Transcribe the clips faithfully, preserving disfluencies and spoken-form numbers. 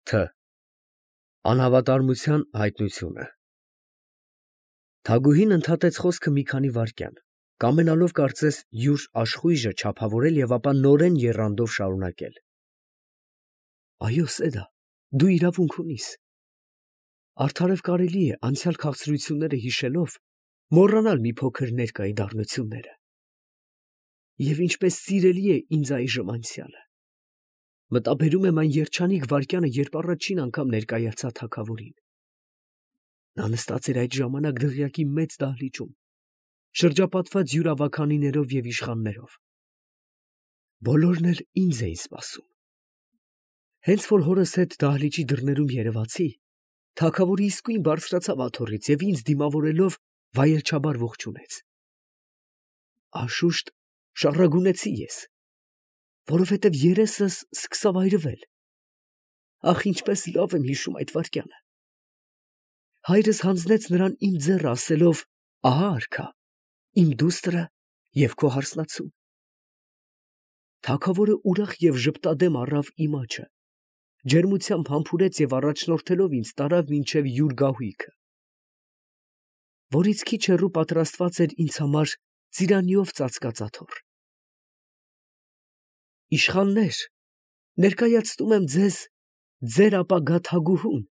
Თ. Անհավատարմության հայտնությունը։ Թագուհին ընդհատեց խոսքը մի քանի վայրկյան, կամենալով կարծես յուր աշխույժը չափավորել և ապա նորեն եռանդով շարունակել. Այո, Սեդա, դու իրավունք ունիս. արդարև կարելի է անցյալ քաղցրությունները հիշելով մոռանալ մի փոքր ներկայի դառնությունները։ Եվ ինչպես սիրելի է ինձ այժմ անցյալը, մտաբերում եմ այն երջանիկ վայրկյանը, երբ առաջին անգամ ներկայացա թագավորին։ Նա նստած էր այդ ժամանակ դղյակի մեծ դահլիճում, շրջապատված յուր ավագանիներով և իշխաններով։ Բոլորն էլ ինձ էին սպասում։ Հենց որ հորս հետ դահլիճի դռներում երևացի, թագավորը իսկույն բարձրացավ աթոռից և ինձ դիմավորելով վայելչաբար ողջունեց։ Անշուշտ շառագունեցի ես, որովհետև երեսս սկսավ այրվել։ Ախ, ինչպես լավ եմ հիշում այդ վայրկյանը։ Հայրս հանձնեց նրան իմ ձեռը, ասելով. «Ահա արքա, իմ դուստրը և քո հարսնացուն»։ Թագավորը ուրախ և ժպտադեմ առավ իմ աջը, ջերմությամբ համբուրեց և առաջնորդելով ինձ տարավ մինչև յուր գահույքը, որից քիչ հեռու պատրաստված էր ինձ համար ծիրանիով ծածկած աթոռ։ Իշխաններ, ներկայացնում եմ ձեզ ձեր ապագա թագուհուն,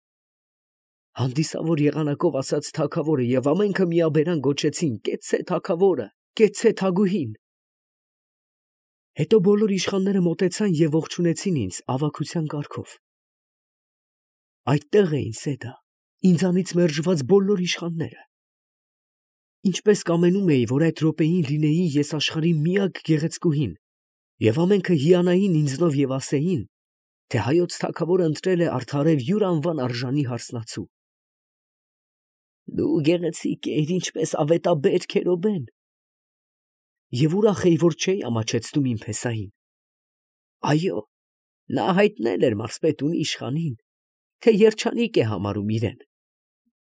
հանդիսավոր եղանակով ասաց թագավորը, և ամենքը միաբերան գոչեցին. «Կեցցե թագավորը, կեցցե թագուհին»։ Հետո բոլոր իշխանները մոտեցան և ողջունեցին ինձ ավագության կարգով։ Այդտեղ էին, Սեդա, ինձանից մերժված բոլոր իշխանները։ Ինչպես կամենում էի, որ այդ րոպեին լինեի ես աշխարհի միակ գեղեցկուհին, և ամենքը հիանային ինձնով և ասեին, թե հայոց թագավորը ընտրել է արդարև յուր անվան արժանի հարսնացու։ Դու գեղեցիկ էիր, ինչպես ավետաբեր քերոբեն։ Եվ ուրախ էի, որ չէի ամաչեցնում իմ փեսային։ Այո, նա հայտնել էր մարզպետունի իշխանին, թե երջանիկ է համարում իրեն,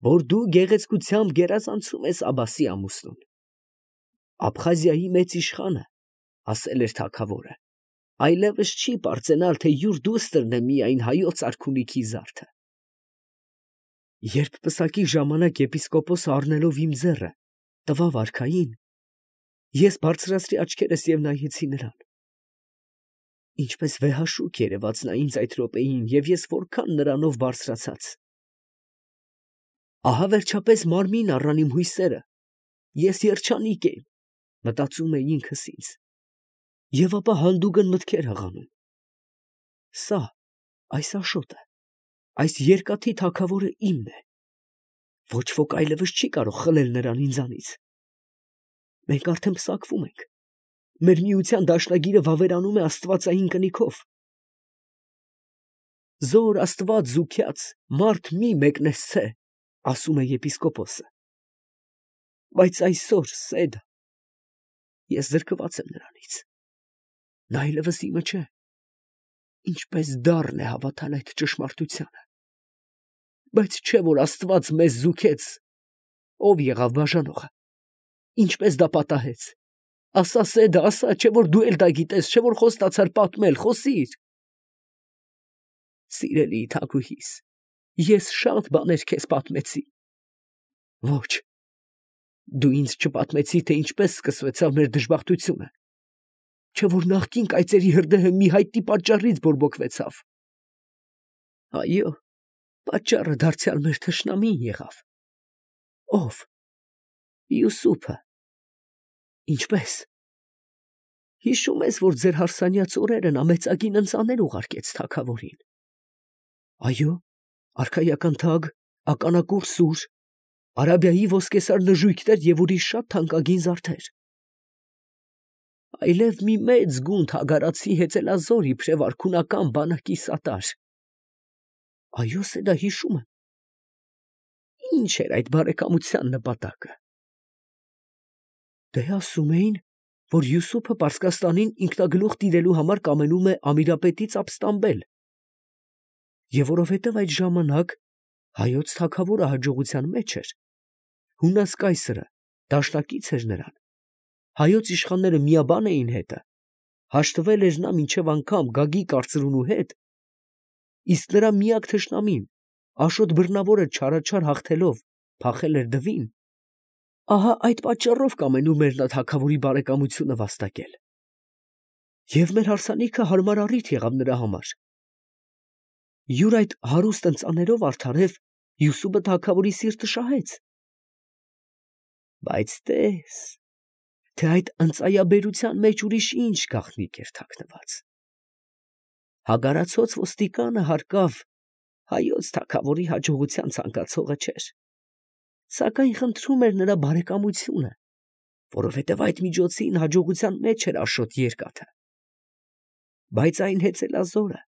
որ դու գեղեցկությամբ գերազանցում ես Աբասի ամուսնուն։ Աբխազիայի մեծ իշխանը, ասել էր թագավորը, այլևս չի պարծենալ, թե յուր դուստրն է միայն հայոց արքունիքի զարդը։ Երբ պսակի ժամանակ եպիսկոպոսը առնելով իմ ձեռը տվավ արքային, ես բարձրացրի աչքերս և նայեցի նրան։ Ինչպես վեհաշուք երևաց նա ինձ այդ րոպեին, և ես որքան նրանով բարձրացած։ Ահա վերջապես մարմին առան իմ հույսերը, ես երջանիկ եմ, մտածում էի ինքս ինձ, և ապա հանդուգն մտքեր հղանում. սա, այս Աշոտը, այս երկաթի թագավորը իմն է, ոչ ոք այլևս չի կարող խլել նրան ինձանից։ Մենք արդեն պսակվում ենք, մեր միության դաշնագիրը վավերանում է աստվածային կնիքով։ Զոր Աստված զուգյաց մարդ մի մեկնեցցե, ասում է եպիսկոպոսը։ Բայց այսօր, Սեդա, ես զրկված եմ նրանից, նա այլևս իմը չէ։ Ինչպես դառն է հավատալ այդ ճշմարտությանը։ Բայց չէ՞ որ Աստված մեզ զուգեց, ով եղավ բաժանողը, ինչպես դա պատահեց։ Ասա, Սեդա, ասա, չէ՞ որ դու էլ դա գիտես, չէ՞ որ խոստացար պատմել, խոսիր։ Սիրելի թագուհիս, ես շատ բաներ քեզ պատմեցի։ Ոչ, դու ինձ չպատմեցի, թե ինչպես սկսվեցավ մեր դժբախտությունը, չէ՞ որ նախկին կայծերի հրդեհը մի հայտնի պատճառից բորբոքվեցավ։ Այո, պատճառը դարձյալ մեր թշնամին եղավ։ Ո՞վ։ Յուսուփը։ Ինչպե՞ս։ Հիշում ես, որ ձեր հարսանյաց օրերը նա մեծագին ընծաներ ուղարկեց թագավորին։ Այո, արքայական թագ, ականակուռ սուր, Արաբիայի ոսկեսար նժույգներ և ուրիշ շատ թանկագին զարդեր։ Այլև մի մեծ գունդ հագարացի հեծելազոր իբրև արքունական բանակի սատար։ Այո, Սեդա, հիշում եմ։ Ի՞նչ էր այդ բարեկամության նպատակը։ Դե ասում էին, որ Յուսուփը Պարսկաստանին ինքնագլուխ տիրելու համար կամենում է Ամիրապետից ապստամբել, և որովհետև այդ ժամանակ հայոց թագավորը հաջողության մեջ էր, Հունաս կայսրը դաշնակից էր նրան, հայոց իշխանները միաբան էին հետը, հաշտվել էր նա մինչև անգամ Գագիկ արծրունու հետ, իսկ նրա միակ թշնամին, Աշոտ բռնավորը չարաչար հաղթելով, փախել էր դվին, ահա այդ պատճառով կամենում էր նա թագավորի բարեկամությունը վաստակել։ Եվ մեր հարսանիքը հարմար առիթ եղավ նրա համար։ Յուր այդ հարուստ ընծաներով արդարև Յուսուփը թագավորի սիրտը շահեց։ Բայց տես, թե այդ ընծայաբերության մեջ ուրիշ ինչ գաղտնիք էր թաքնված։ Հագարացած ոստիկանը հարկավ հայոց թագավորի հաջողության ցանկացողը չէր, սակայն խնդրում էր նրա բարեկամությունը, որովհետև այդ միջոցին հաջողության մեջ էր Աշոտ երկաթը։ Բայց այն հեծելազորը,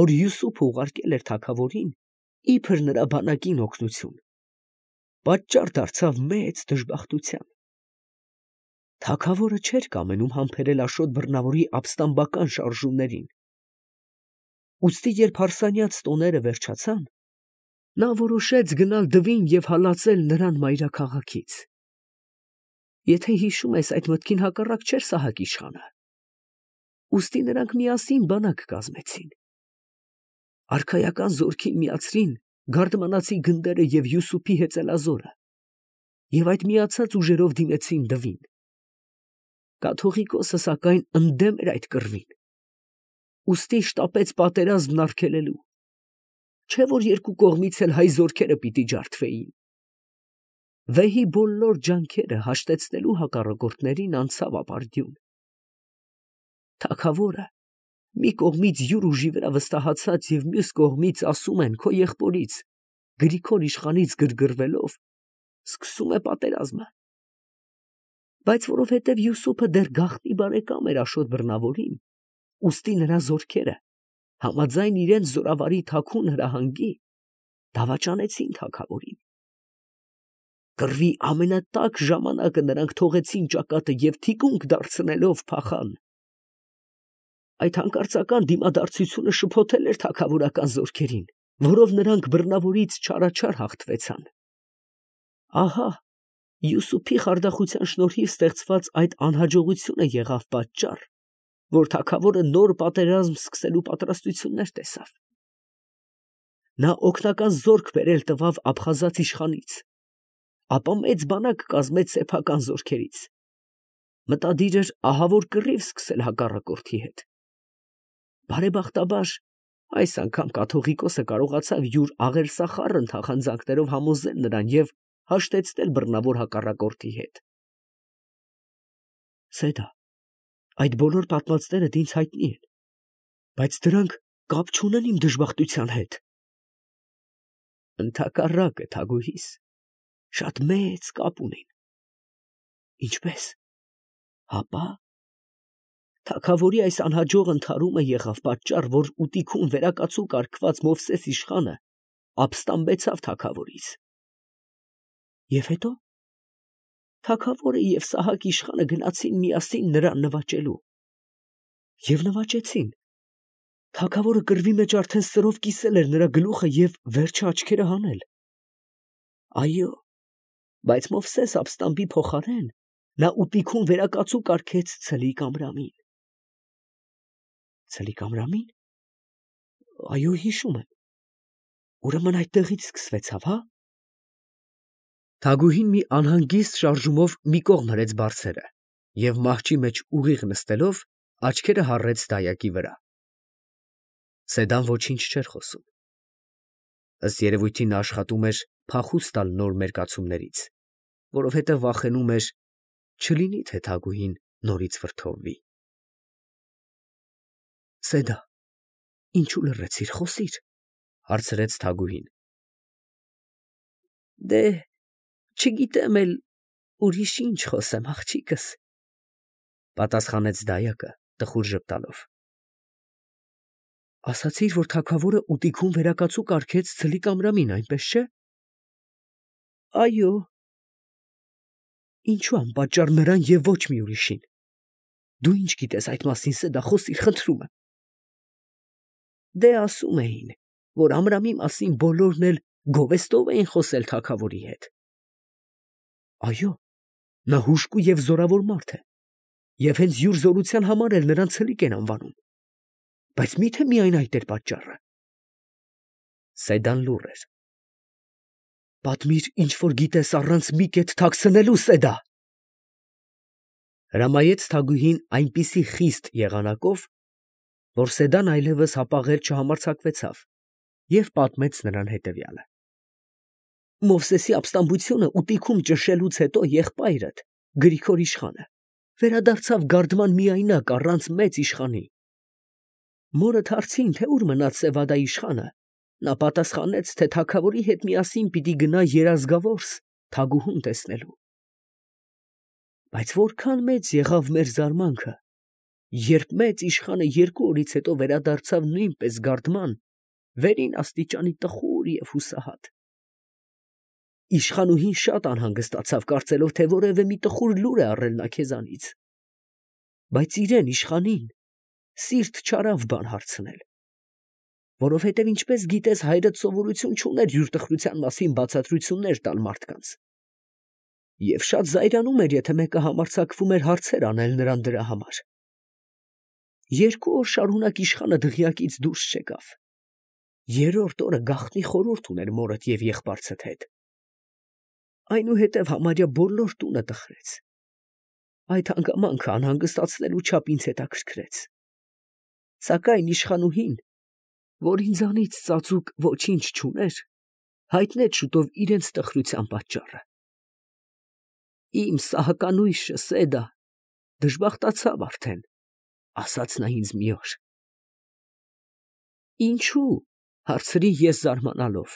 որ Յուսուփը ուղարկել էր թագավորին, իբր նրա բանակին օգնություն, պատճառ դարձավ մեծ դժբախտության։ Թագավորը չէր կամենում համբերել Աշոտ բռնավորի ապստամբական շարժումներին։ Ուստի երբ հարսանյաց տոները վերջացան, նա որոշեց գնալ դվին և հալածել նրան մայրաքաղաքից։ Եթե հիշում ես, այդ մտքին հակառակ չէր Սահակ իշխանը։ Ուստի նրանք միասին բանակ կազմեցին։ Արքայական զորքին միացրին գարդմանացի գնդերը և Յուսուփի հեծելազորը, և այդ միացած ուժերով դիմեցին դվին։ Կաթողիկոսը սակայն ընդդեմ էր այդ կռվին, ուստի շտապեց պատերազմն արգելելու, չէ որ երկու կողմից էլ հայ զորքերը պիտի ջարդվեին։ Վեհի բոլոր ջանքերը հաշտեցնելու հակառակորդներին անցավ ապարդյուն։ Թագավորը մի կողմից յուր ուժի վրա վստահացած և մյուս կողմից, ասում են, քո եղբորից Գրիգոր իշխանից գրգռվելով, սկսում է պատերազմը։ Բայց որովհետև Յուսուփը դեռ գաղտնի բարեկամ էր Աշոտ բռնավորին, ուստի նրա զորքերը, համաձայն իրենց զորավարի թաքուն հրահանգի, դավաճանեցին թագավորին։ Կռվի ամենատաք ժամանակը նրանք թողեցին ճակատը և թիկունք դարձնելով փախան։ Այդ հանկարծական դիմադարձությունը շփոթել էր թագավորական զորքերին, որով նրանք բռնավորից չարաչար հաղթվեցան։ Ահա Յուսուփի խարդախության շնորհիվ ստեղծված այդ անհաջողությունը եղավ պատճառ, որ թագավորը նոր պատերազմ սկսելու պատրաստություններ տեսավ։ Նա օգնական զորք բերել տվավ Աբխազած իշխանից, ապա մեծ բանակ կազմեց սեփական զորքերից, մտադիր էր ահավոր կռիվ սկսել հակառակորդի հետ։ Բարեբախտաբար այս անգամ կաթողիկոսը կարողացավ յուր աղերսախառն թախանձանքներով համոզել նրան և հաշտեցնել բռնավոր հակառակորդի հետ։ Սեդա, այդ բոլոր պատմածներդ ինձ հայտնի են, բայց դրանք կապ չունեն իմ դժբախտության հետ։ Ընդհակառակը, թագուհիս, շատ մեծ կապ ունեն։ Ինչպե՞ս։ Հապա թագավորի այս անհաջող ընդհարումը եղավ պատճառ, որ ուտիքում վերակացու կարգված Մովսես իշխանը ապստամբեցավ թագավորից։ Եվ հետո թագավորը և Սահակ իշխանը գնացին միասին նրան նվաճելու։ Եվ նվաճեցին։ Թագավորը կռվի մեջ արդեն սրով կիսել էր նրա գլուխը և վերջը աչքերը հանել։ Այո, բայց Մովսես ապստամբի փոխարեն նա ուտիքում վերակացու կարգեց Ցլիկ Ամրամին։ Ցլիկ Ամրամի՞ն։ Այո, հիշում եմ։ Ուրեմն այդտեղից սկսվեցավ, հա։ Թագուհին մի անհանգիստ շարժումով մի կողմ հրեց բարձերը և մահճի մեջ ուղիղ նստելով աչքերը հառեց դայակի վրա։ Սեդան ոչինչ չէր խոսում։ Ըստ երևույթին նա աշխատում էր փախուստ տալ նոր մերկացումներից, որովհետև վախենում էր, չլինի թե թագուհին նորից վրդովվի։ Սեդա, ինչու լռեցիր, խոսիր, հարցրեց թագուհին։ Դե, չգիտեմ էլ ուրիշ ինչ խոսեմ, աղջիկս, պատասխանեց դայակը տխուր ժպտալով։ Ասացիր, որ թագավորը ուտիքում վերակացու կարգեց Ցլիկ Ամրամին, այնպես չէ։ Այո։ Ինչու անպատճառ նրան և ոչ մի ուրիշին։ Դու ինչ գիտես այդ մասին, Սեդա, խոսիր, խնդրում եմ։ Դե ասում էին, որ Ամրամի մասին բոլորն էլ գովեստով էին խոսել թագավորի հետ։ Այո, նա հուժկու և զորավոր մարդ է, և հենց յուր զորության համար էլ նրան Ցլիկ են անվանում։ Բայց մի՞թե միայն այդ էր պատճառը։ Սեդան լուռ էր։ Պատմիր, ինչ որ գիտես առանց մի կետ թաքցնելու, Սեդա, հրամայեց թագուհին այնպիսի խիստ եղանակով, որ Սեդան այլևս հապաղել չհամարձակվեցավ և պատմեց նրան հետևյալը. Մովսեսի ապստամբությունը ուտիքում ճնշելուց հետո եղբայրդ Գրիգոր իշխանը վերադարձավ գարդման միայնակ առանց մեծ իշխանի։ Մորդ հարցին, թե ուր մնաց Սևադա իշխանը, նա պատասխանեց, թե թագավորի հետ միասին պիտի գնա Երազգավորս թագուհուն տեսնելու։ Բայց որքան մեծ եղավ մեր զարմանքը, երբ մեծ իշխանը երկու օրից հետո վերադարձավ նույնպես գարդման, վերին աստիճանի տխուր և հուսահատ։ Իշխանուհին շատ անհանգստացավ, կարծելով, թե որևէ մի տխուր լուր է առել նա քեզանից, բայց իրեն իշխանին սիրտ չարավ բան հարցնել, որովհետև ինչպես գիտես, հայրդ սովորություն չուներ յուր տխրության մասին բացատրություններ տալ մարդկանց, և շատ զայրանում էր, եթե մեկը համարձակվում էր հարցեր անել նրան դրա համար։ Երկու օր շարունակ իշխանը դղյակից դուրս չեկավ։ Երրորդ օրը գաղտնի խորհուրդ ուներ մորդ և եղբայրցդ հետ։ Այնուհետև համարյա բոլոր տունը տխրեց։ Այդ հանգամանքը անհանգստացնելու չափ ինձ հետաքրքրեց։ Սակայն իշխանուհին, որ ինձանից ծածուկ ոչինչ չուներ, հայտնեց շուտով իրենց տխրության պատճառը։ Իմ սահականույշը Սեդա դժբախտացավ արդեն, ասաց նա ինձ մի օր։ Ինչու՞, հարցրի ես զարմանալով։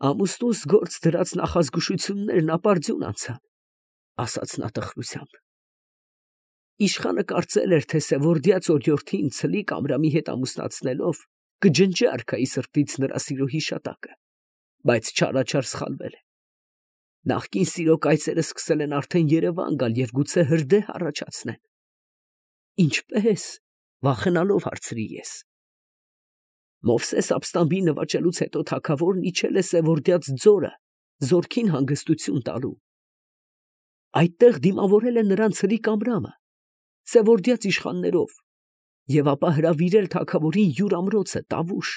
Ամուսնուս գործ դրած նախազգուշություններն ապարդյուն անցան, ասաց նա տխրությամբ։ Իշխանը կարծել էր, թե Սևորդյաց օրիորդին ցլիկ Ամրամի հետ ամուսնացնելով կջնջի արքայի սրտից նրա սիրո հիշատակը, բայց չարաչար սխալվել է։ Նախկին սիրո կայծերը սկսել են արդեն Երևան գալ և գուցե հրդեհ առաջացնեն։ Ինչպե՞ս, վախենալով հարցրի ես։ Մովսես ապստամբի նվաճելուց հետո թագավորն իջել է Սևորդյաց ձորը զորքին հանգստություն տալու։ Այդտեղ դիմավորել է նրան ցրիկ Ամրամը Սևորդյաց իշխաններով և ապա հրավիրել թագավորին յուր ամրոցը Տավուշ։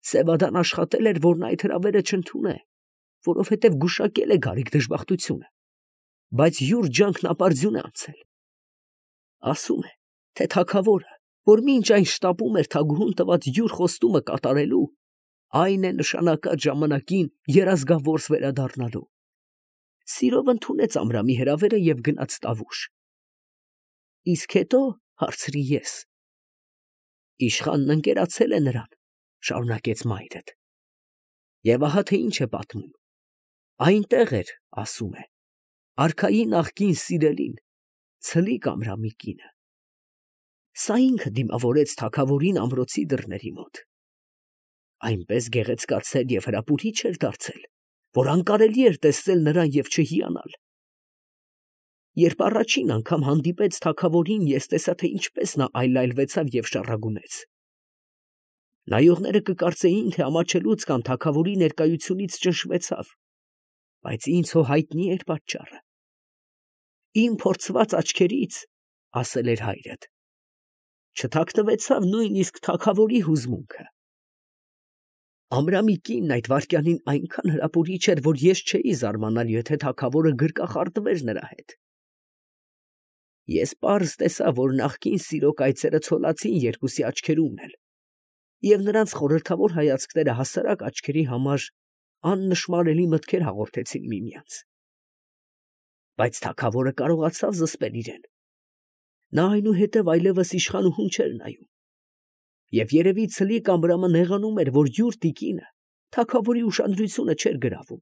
Սևադան աշխատել էր, որն այդ հրավերը չընդունե, որովհետև գուշակել է գարիկ դժբախտությունը, բայց յուր ջանքն ապարդյուն է անցել։ Ասում է, թե թագավորը, որ մինչ այն շտապում էր թագուհուն տված յուր խոստումը կատարելու, այն է նշանակած ժամանակին Երազգավորս վերադառնալու։ Սիրով ընդունեց Ամրամի հրավերը և գնաց Տավուշ։ Իսկ հետո, հարցրի ես, իշխանն ընկերացել է նրան, շարունակեց մայրդ։ Եվ ահա թե ինչ է պատմում. այնտեղ էր, ասում է, արքայի նախկին սիրելին, ցլիկ Ամրամի կինը։ Սա ինքը դիմավորեց թագավորին ամրոցի դռների մոտ։ Այնպես գեղեցկացել և հրապուրիչ էր դարձել, որ անկարելի էր տեսնել նրան և չհիանալ։ Երբ առաջին անգամ հանդիպեց թագավորին, ես տեսա, թե ինչպես նա այլայլվեցավ և շառագունեց։ Նայողները կկարծեին, թե ամաչելուց կամ թագավորի ներկայությունից ճնշվեցավ, բայց ինձ հո հայտնի էր պատճառը։ Իմ փորձված աչքերից, ասել էր հայրդ, չթաքնվեցավ նույնիսկ թագավորի հուզմունքը։ Ամրամի կինն այդ վայրկյանին այնքան հրապուրիչ էր, որ ես չէի զարմանալ, եթե թագավորը գրկախառնվեր նրա հետ։ Ես պարզ տեսա, որ նախկին սիրո կայծերը ցոլացին երկուսի աչքերումն էլ, և նրանց խորհրդավոր հայացքները հասարակ աչքերի համար աննշմարելի մտքեր հաղորդեցին միմյանց։ Բայց թագավորը կարողացավ զսպել իրեն։ Նա այնուհետև այլևս իշխանուհուն չէր նայում։ Եվ երևի ցլիկ Ամրամը նեղանում էր, որ յուր տիկինը թագավորի ուշադրությունը չէր գրավում։